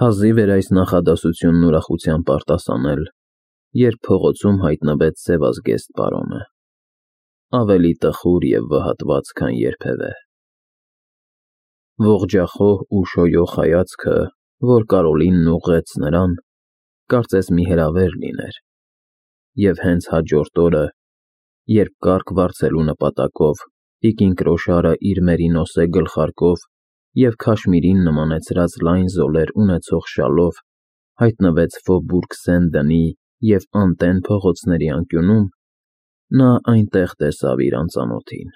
Հազիվ էր այս նախադասությունն ուրախությամբ արտասանել, երբ փողոցում հայտնվեց սևազգեստ պարոնը, ավելի տխուր և վհատված, քան երբևէ։ Ողջախոհ ու շոյող հայացքը, որ Կարոլինն ուղղեց նրան, կարծես մի հրավեր լիներ, և հենց հաջորդ օրը, երբ կառք վարձելու նպատակով տիկին Կրոշարը իր մերինոսե գլխարկով և քաշմիրին նմանեցրած լայն զոլեր ունեցող շալով հայտնվեց Ֆոբուրգ Սեն-Դենի և Անտեն փողոցների անկյունում, նա այնտեղ տեսավ իր անծանոթին,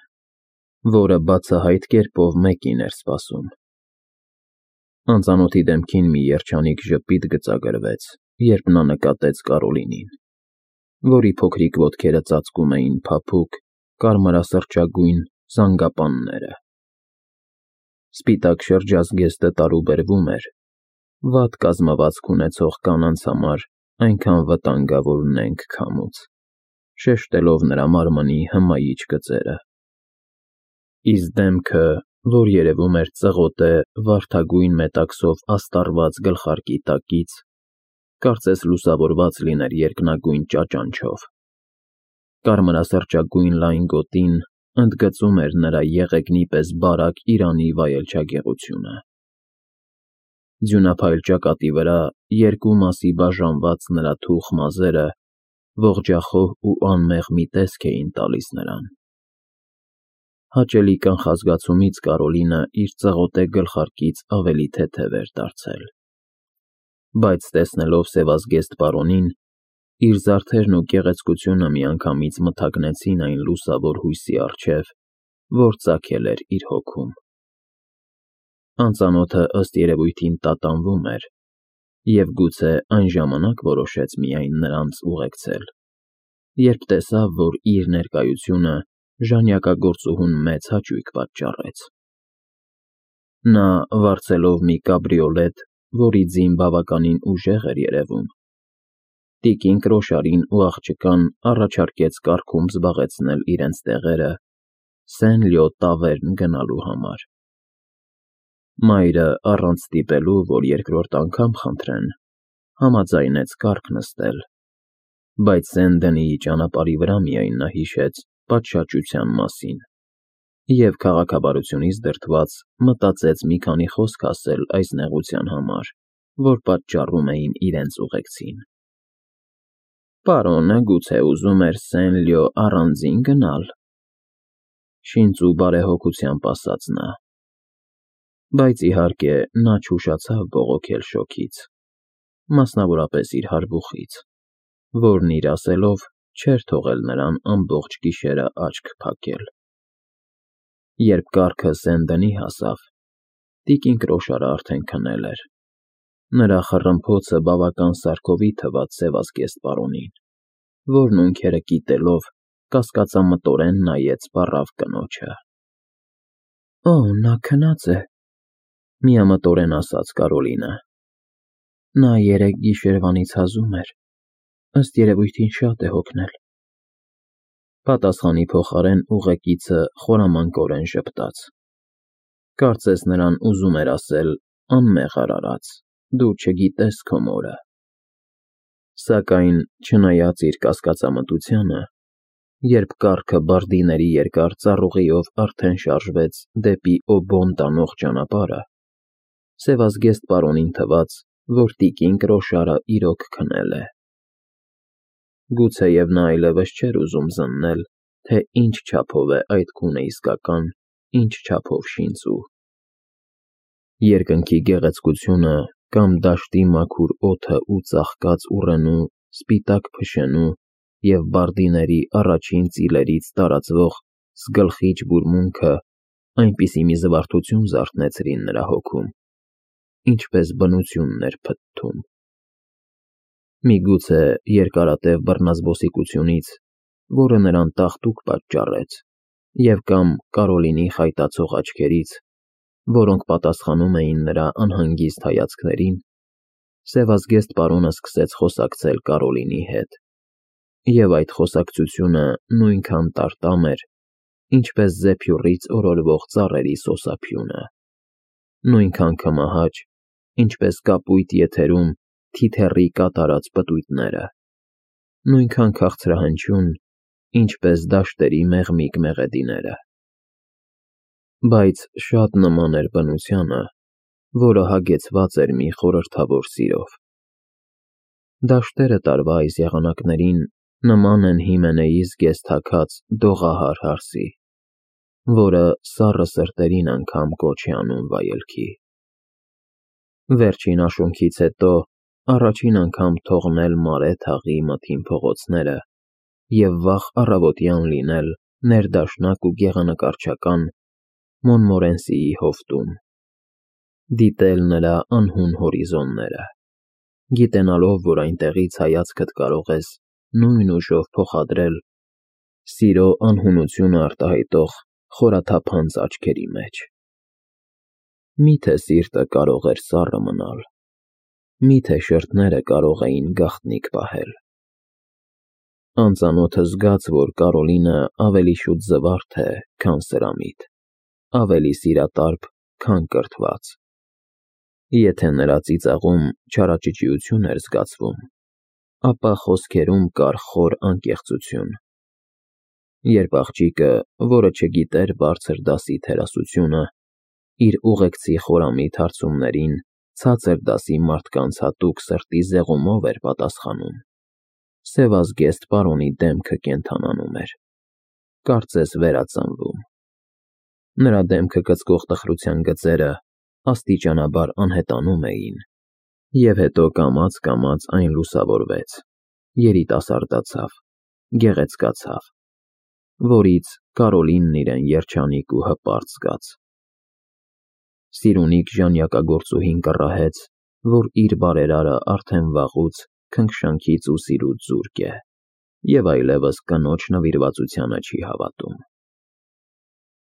որը բացահայտ կերպով մեկին էր սպասում։ Անծանոթի դեմքին մի երջանիկ ժպիտ գծագրվեց, երբ նա նկատեց Կարոլինին, որի փոքրիկ ոտքերը ծածկում էին փափուկ, կարմրասրճագույն զանգապանները։ Սպիտակ շրջազգեստը տարուբերվում էր վատ կազմվածք ունեցող կանանց համար այնքան վտանգավոր նենգ քամուց, շեշտելով նրա մարմնի հմայիչ գծերը։ Իսկ դեմքը, որ երևում էր ծղոտե վարդագույն մետաքսով աստառված գլխարկի տակից, կարծես լուսավորված լիներ երկնագույն ճաճանչով։ Կարմրասրճագույն լայն գոտին ընդգծում էր նրա եղեգնի պես բարակ Իրանի վայելչագեղությունը։ Ձյունափայլ ճակատի վրա երկու մասի բաժանված նրա թուխ մազերը ողջախոհ ու անմեղ մի տեսք էին տալիս նրան։ Հաճելի կանխազգացումից Կարոլինը իր ծղոտե գլխարկից ավելի թեթև էր դարձել, բայց տեսնելով սևազգեստ պարոնին, իր զարդերն ու գեղեցկությունը միանգամից մթագնեցին այն լուսավոր հույսի առջև, որ ծագել էր իր հոգում։ Անծանոթը ըստ երևույթին տատանվում էր և գուցե այն ժամանակ որոշեց միայն նրանց ուղեկցել, երբ տեսավ, որ իր ներկայությունը ժանյակագործուհուն մեծ հաճույք պատճառեց։ Նա, վարձելով մի կաբրիոլետ, որի ձին բավականին ուժեղ էր երևում, տիկին Կրոշարին ու աղջկան առաջարկեց կառքում զբաղեցնել իրենց տեղերը Սեն-Լյո տավերն գնալու համար։ Մայրը, առանց ստիպելու, որ երկրորդ անգամ խնդրեն, համաձայնեց կառք նստել, բայց Սեն-Դենիի ճանապարհի վրա միայն նա հիշեց պատշաճության մասին և, քաղաքավարությունից դրդված, մտածեց մի քանի խոսք ասել այս նեղության համար, որ պատճառում էին իրենց ուղեկցին։ Պարոնը գուցե ուզում էր Սեն-Լյո առանձին գնալ, շինծ ու բարեհոգությամբ ասաց նա, բայց իհարկե նա չուշացավ բողոքել շոգից, մասնավորապես իր հարբուխից, որն իր ասելով չէր թողել նրան ամբողջ գիշերը աչք փակել։ Երբ կառքը Սեն-Դենի հասավ, տիկին Կրոշարը արդեն քնել էր։ Նրա խռմփոցը բավական սարքովի թվաց սևազգեստ պարոնին, որն ունքերը կիտելով կասկածամտորեն նայեց պառավ կնոջը։ «Օ, նա քնած է», միամտորեն ասաց Կարոլինը։ «Նա երեկ գիշերվանից հազում էր, ըստ երևույթին շատ է հոգնել»։ Պատասխանի փոխարեն ուղեկիցը խորամանկորեն ժպտաց։ Կարծես նրան ուզում էր ասել. «Անմեղ արարած, դու չգիտես քո մորը»։ Սակայն, չնայած իր կասկածամտությանը, երբ կառքը բարդիների երկար ծառուղիով արդեն շարժվեց դեպի Օբոն տանող ճանապարհը, սևազգեստ պարոնին թվաց, որ տիկին Կրոշարը իրոք քնել է։ Գուցեև նա այլևս չէր ուզում զննել, թե ինչ չափով է այդ գունը իսկական, ինչ չափով շինծու։ Երկնքի գեղեցկությունը կամ դաշտի մաքուր օդը ու ծաղկած ուռենու, սպիտակ փշենու և բարդիների առաջին ծիլերից տարածվող սգլխիչ բուրմունքը այնպիսի մի զվարթություն զարթնեցրին նրա հոգում, ինչպես բնությունն էր փթթում։ Միգուցե երկարատև բռնազբոսիկությունից, որը նրան տաղտուկ պատճառեց, և կամ Կարոլինի խայտացող աչքերից, որոնք պատասխանում էին նրա անհանգիստ հայացքներին, սևազգեստ պարոնը սկսեց խոսակցել Կարոլինի հետ, և այդ խոսակցությունը նույնքան տարտամ էր, ինչպես զեփյուռից օրորվող ծառերի սոսափյունը, նույնքան քմահաճ, ինչպես կապույտ եթերում թիթեռի կատարած պտույտները, նույնքան քաղցրահնչյուն, ինչպես դաշտերի մեղմիկ մեղեդիները։ Բայց շատ նման էր բնությանը, որը հագեցված էր մի խորհրդավոր սիրով։ Դաշտերը տարվա այս եղանակներին նման են Հիմենեի զգեսթաքած դողահար հարսի, որը սառը սրտերին անգամ կոչ է անում վայելքի։ Վերջին աշունքից հետո առաջին անգամ թողնել մարե թաղի մթին փողոցները և վաղ առավոտյան լինել ներդաշնակ ու գեղանկարչական Մոնմորենսիի հովտում, դիտել նրա անհուն հորիզոնները, գիտենալով, որ այնտեղից հայացքդ կարող ես նույն ուժով փոխադրել սիրո անհունությունը արտահայտող խորաթափանց աչքերի մեջ։ Միթե սիրտը կարող էր սառը մնալ, միթե շրթները կարող էին գաղտնիք պահել։ Անծանոթը զգաց, որ Կարոլինը ավելի շուտ զվարթ է, քան սրամիտ, ավելի սիրատարբ, քան կրթված։ Եթե նրա ծիծաղում չարաճճիություն էր զգացվում, ապա խոսքերում կար խոր անկեղծություն։ Երբ աղջիկը, որը չգիտեր բարձր դասի թերասությունը, իր ուղեկցի խորամիտ հարցումներին ցածր դասի մարդկանց հատուկ սրտի զեղումով էր պատասխանում, սևազգեստ պարոնի դեմքը կենդանանում էր, կարծես վերածնվում։ Նրա դեմքը կծկող տխրության գծերը աստիճանաբար անհետանում էին, և հետո կամաց-կամաց այն լուսավորվեց, երիտասարդացավ, գեղեցկացավ, որից Կարոլինն իրեն երջանիկ ու հպարտ զգաց։ Սիրունիկ ժանյակագործուհին կռահեց, որ իր բարերարը արդեն վաղուց քնքշանքից ու սիրուց զուրկ է և այլևս կնոջ նվիրվածությանը չի հավատում։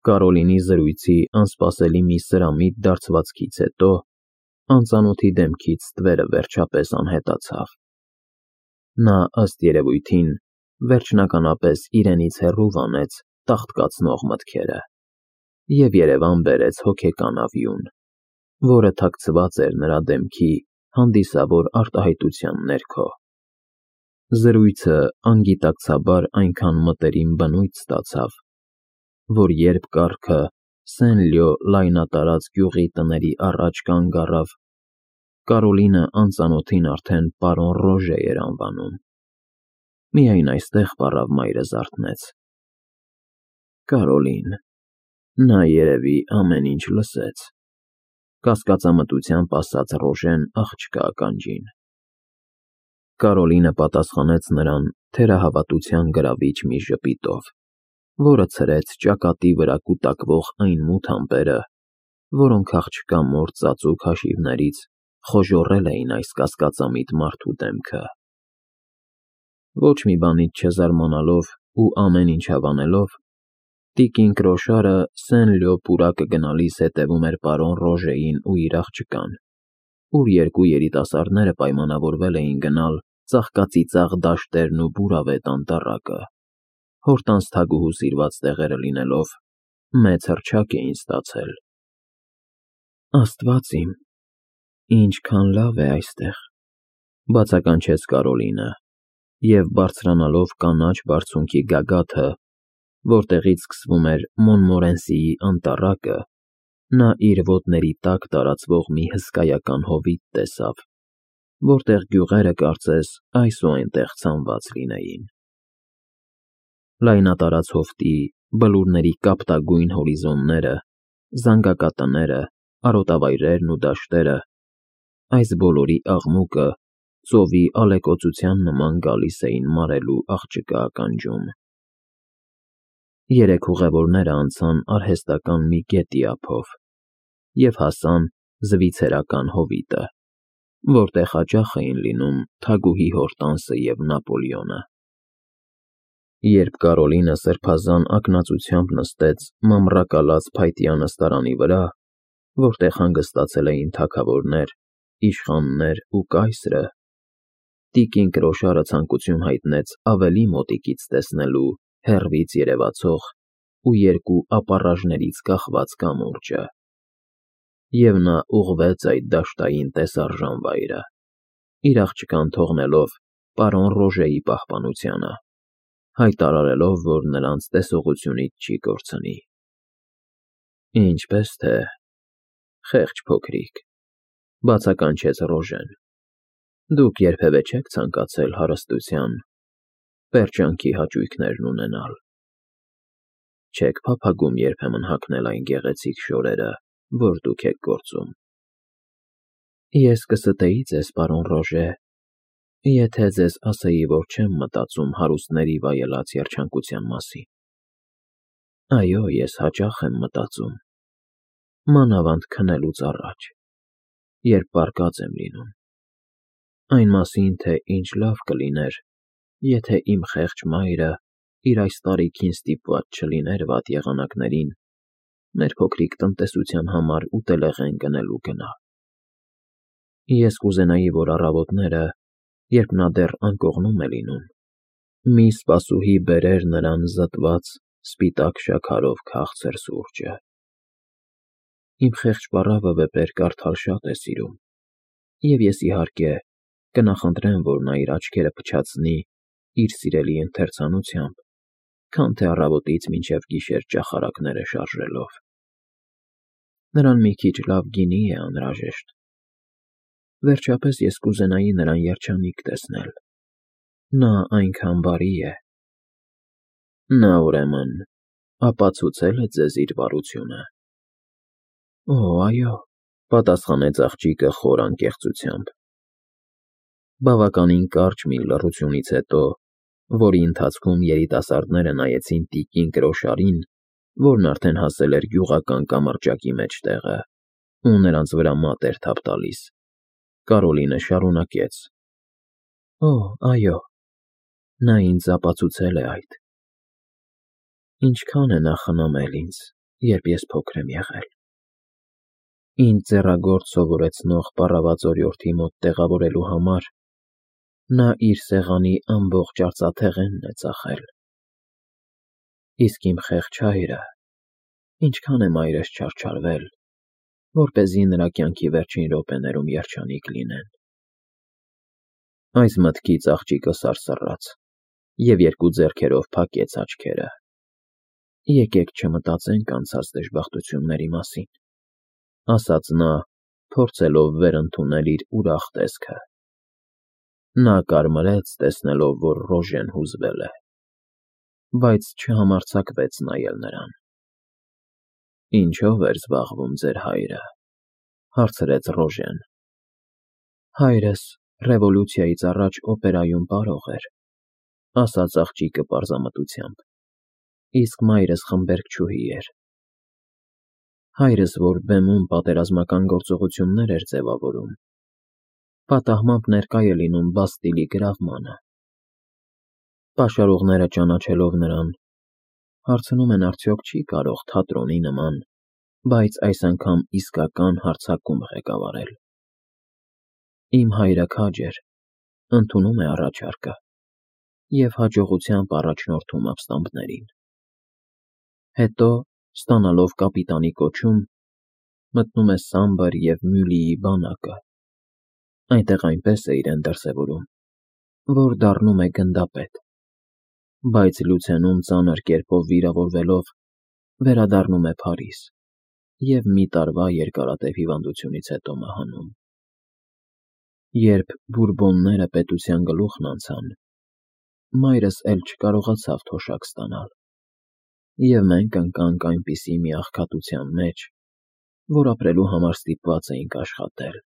Կարոլինի զրույցի անսպասելի մի սրամիտ դարձվածքից հետո անծանոթի դեմքից ստվերը վերջապես անհետացավ։ Նա, ըստ երևույթին, վերջնականապես իրենից հեռու վանեց տաղտկացնող մտքերը և երևան բերեց հոգեկան ավյուն, որը թաքցված էր նրա դեմքի հանդիսավոր արտահայտության ներքո։ Զրույցը անգիտակցաբար այնքան մտերիմ բնույթ ստացավ, որ երբ կառքը Սեն-Լյո լայնատարած գյուղի տների առաջ կանգ առավ, Կարոլինը անծանոթին արդեն պարոն Ռոժե էր անվանում։ Միայն այստեղ պառավ մայրը զարթնեց։ Կարոլին, նա երևի ամեն ինչ լսեց, կասկածամտությամբ ասաց Ռոժեն աղջկա ականջին։ Կարոլինը պատասխանեց նրան թերահավատության գրավիչ մի ժպիտով, որը ցրեց ճակատի վրա կուտակվող այն մութ ամպերը, որոնք աղջկա մոր ծածուկ հաշիվներից խոժոռել էին այս կասկածամիտ մարդու դեմքը։ Ոչ մի բանից չզարմանալով ու ամեն ինչ հավանելով, տիկին Կրոշարը Սեն-Լյո պուրակը գնալիս հետևում էր պարոն Ռոժեին ու իր աղջկան, ուր երկու երիտասարդները պայմանավորվել էին գնալ ծաղկածիծաղ դաշտերն ու բուրավետ անտառակը, հորտանց թագուհու սիրված տեղերը լինելով, մեծ հռչակ էին ստացել։ Աստված իմ, ինչքան լավ է այստեղ, բացականչեց Կարոլինը, և բարձրանալով կանաչ բարձունքի գագաթը, որտեղից սկսվում էր Մոնմորենսիի անտառակը, նա իր ոտների տակ տարածվող մի հսկայական հովիտ տեսավ, որտեղ գյուղերը կարծես այս ու այնտեղ ցանված լինեին։ Լայնատարած հովտի, բլուրների կապտագույն հորիզոնները, զանգակատները, արոտավայրերն ու դաշտերը, այս բոլորի աղմուկը ծովի ալեկոծության նման գալիս էին մարելու աղջկա ականջում։ Երեք ուղևորները անցան արհեստական մի գետի ափով և հասան Զվիցերական հովիտը, որտեղ հաճախ էին լինում թագուհի Հորտանսը և Նապոլեոնը։ Երբ Կարոլինը սրբազան ակնածությամբ նստեց մամռակալած փայտյա նստարանի վրա, որտեղ հանգստացել էին թագավորներ, իշխաններ ու կայսրը, տիկին Կրոշարը ցանկություն հայտնեց ավելի մոտիկից տեսնելու հեռվից երևացող ու երկու ապառաժներից կախված կամուրջը։ և նա ուղղվեց այդ դաշտային տեսարժան վայրը, իր աղջկան թողնելով պարոն Ռոժեի պահպանությանը, հայտարարելով, որ նրանց տեսողությունից չի կորցնի։ Ինչպես թե, խեղճ փոքրիկ, բացականչեց Ռոժեն, դուք երբևէ չեք ցանկացել հարստության, պերճանքի հաճույքներն ունենալ։ Չեք փափագում երբեմն հագնել այն գեղեցիկ շորերը, որ դուք եք գործում։ Ես կստեի ձեզ, պարոն Ռոժե, եթե ձեզ ասեի, որ չեմ մտածում հարուստների վայելած երջանկության մասին։ Այո, ես հաճախ եմ մտածում, մանավանդ քնելուց առաջ, երբ պառկած եմ լինում, այն մասին, թե ինչ լավ կլիներ, եթե իմ խեղճ մայրը իր այս տարիքին ստիպված չլիներ վատ եղանակներին մեր փոքրիկ տնտեսության համար ուտելեղեն գնելու գնալ։ Ես կուզենայի, որ առավոտները, երբ նա դեռ անկողնում է լինում, մի սպասուհի բերեր նրան զտված սպիտակ շաքարով քաղցր սուրճը։ Իմ խեղճ պառավը վեպեր կարդալ շատ է սիրում, և ես, իհարկե, կնախընտրեմ, որ նա իր աչքերը փչացնի իր սիրելի ընթերցանությամբ, քան թե առավոտից մինչև գիշեր ճախարակները շարժելով։ Նրան մի քիչ լավ գինի է անհրաժեշտ։ Վերջապես ես կուզենայի նրան երջանիկ տեսնել։ Նա այնքան բարի է։ Նա, ուրեմն, ապացուցե՞լ է ձեզ իր բարությունը։ Օ, այո, պատասխանեց աղջիկը խոր անկեղծությամբ։ Բավականին կարճ մի լռությունից հետո, որի ընթացքում երիտասարդները նայեցին տիկին կրոշարին, որն արդեն հասել էր գյուղական կամրջակի մեջտեղը, ու նրանց վրա մատ էր թափ տալիս, Կարոլինը շարունակեց. Օ, այո, նա ինձ ապացուցել է այդ։ Ինչքան է նա խնամել ինձ, երբ ես փոքր եմ եղել։ Ինձ ձեռագործ սովորեցնող պառավացորյորդի մոտ տեղավորելու համար նա իր սեղանի ամբողջ արծաթեղենն է ծախել։ Իսկ իմ խեղճ հայրը, ինչքան է մայրս չարչարվել, որպեսզի նրա կյանքի վերջին րոպեներում երջանիկ լինեն։ Այս մտքից աղջիկը սարսռաց և երկու ձեռքերով փակեց աչքերը։ Եկեք չմտածենք անցած դժբախտությունների մասին, ասաց նա, փորձելով վերընդունել իր ուրախ տեսքը։ Նա կարմրեց, տեսնելով, որ Ռոժեն հուզվել է, բայց չհամարձակվեց նայել նրան։ Ինչո՞վ էր զբաղվում ձեր հայրը, հարցրեց Ռոժեն։ Հայրս ռևոլյուցիայից առաջ օպերայում պարող էր, ասաց աղջիկը պարզամտությամբ, իսկ մայրս խմբերգչուհի էր։ Հայրս, որ բեմում պատերազմական գործողություններ էր ձևավորում, պատահմամբ ներկա է լինում Բաստիլի գրավմանը։ Պաշարողները ճանաչելով նրան, հարցնում են արդյոք չի կարող թատրոնի նման, բայց այս անգամ իսկական հարձակում ղեկավարել։ Իմ հայրը քաջ էր, ընդունում է առաջարկը և հաջողությամբ առաջնորդում ապստամբներին։ Հետո, ստանալով կապիտանի կոչում, մտնում է Սամբր և Մյուլիի բանակը։ Այնտեղ այնպես է իրեն դրսևորում, որ դառնում է գնդապետ, բայց Լուցենում ծանր կերպով վիրավորվելով, վերադառնում է Փարիզ և մի տարվա երկարատև հիվանդությունից հետո մահանում։ Երբ Բուրբոնները պետության գլուխն անցան, մայրս էլ չկարողացավ թոշակ ստանալ, և մենք ընկանք այնպիսի մի աղքատության մեջ, որ ապրելու համար ստիպված էինք աշխատել։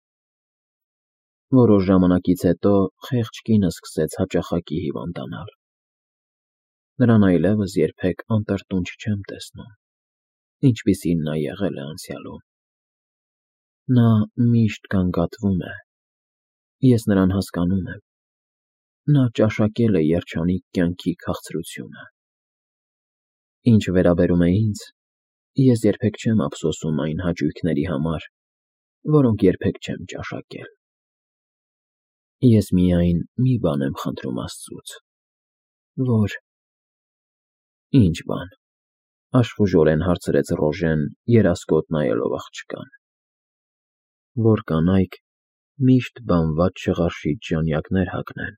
Որոշ ժամանակից հետո խեղճ կինը սկսեց հաճախակի հիվանդանալ։ Նրան այլևս երբեք անտրտունջ չեմ տեսնում, ինչպիսին նա եղել է անցյալում։ Նա միշտ գանգատվում է։ Ես նրան հասկանում եմ։ Նա ճաշակել է երջանիկ կյանքի քաղցրությունը։ Ինչ վերաբերում է ինձ, ես երբեք չեմ ափսոսում այն հաճույքների համար, որոնք երբեք չեմ ճաշակել։ Ես միայն մի բան եմ խնդրում Աստծուց, որ… Ինչ բան, աշխուժորեն հարցրեց Ռոժեն, երասկոտ նայելով աղջկան։ որ կանայք միշտ բանված չղարշիչ ժանյակներ հագնեն,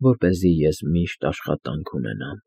որպեսզի ես միշտ աշխատանք ունենամ։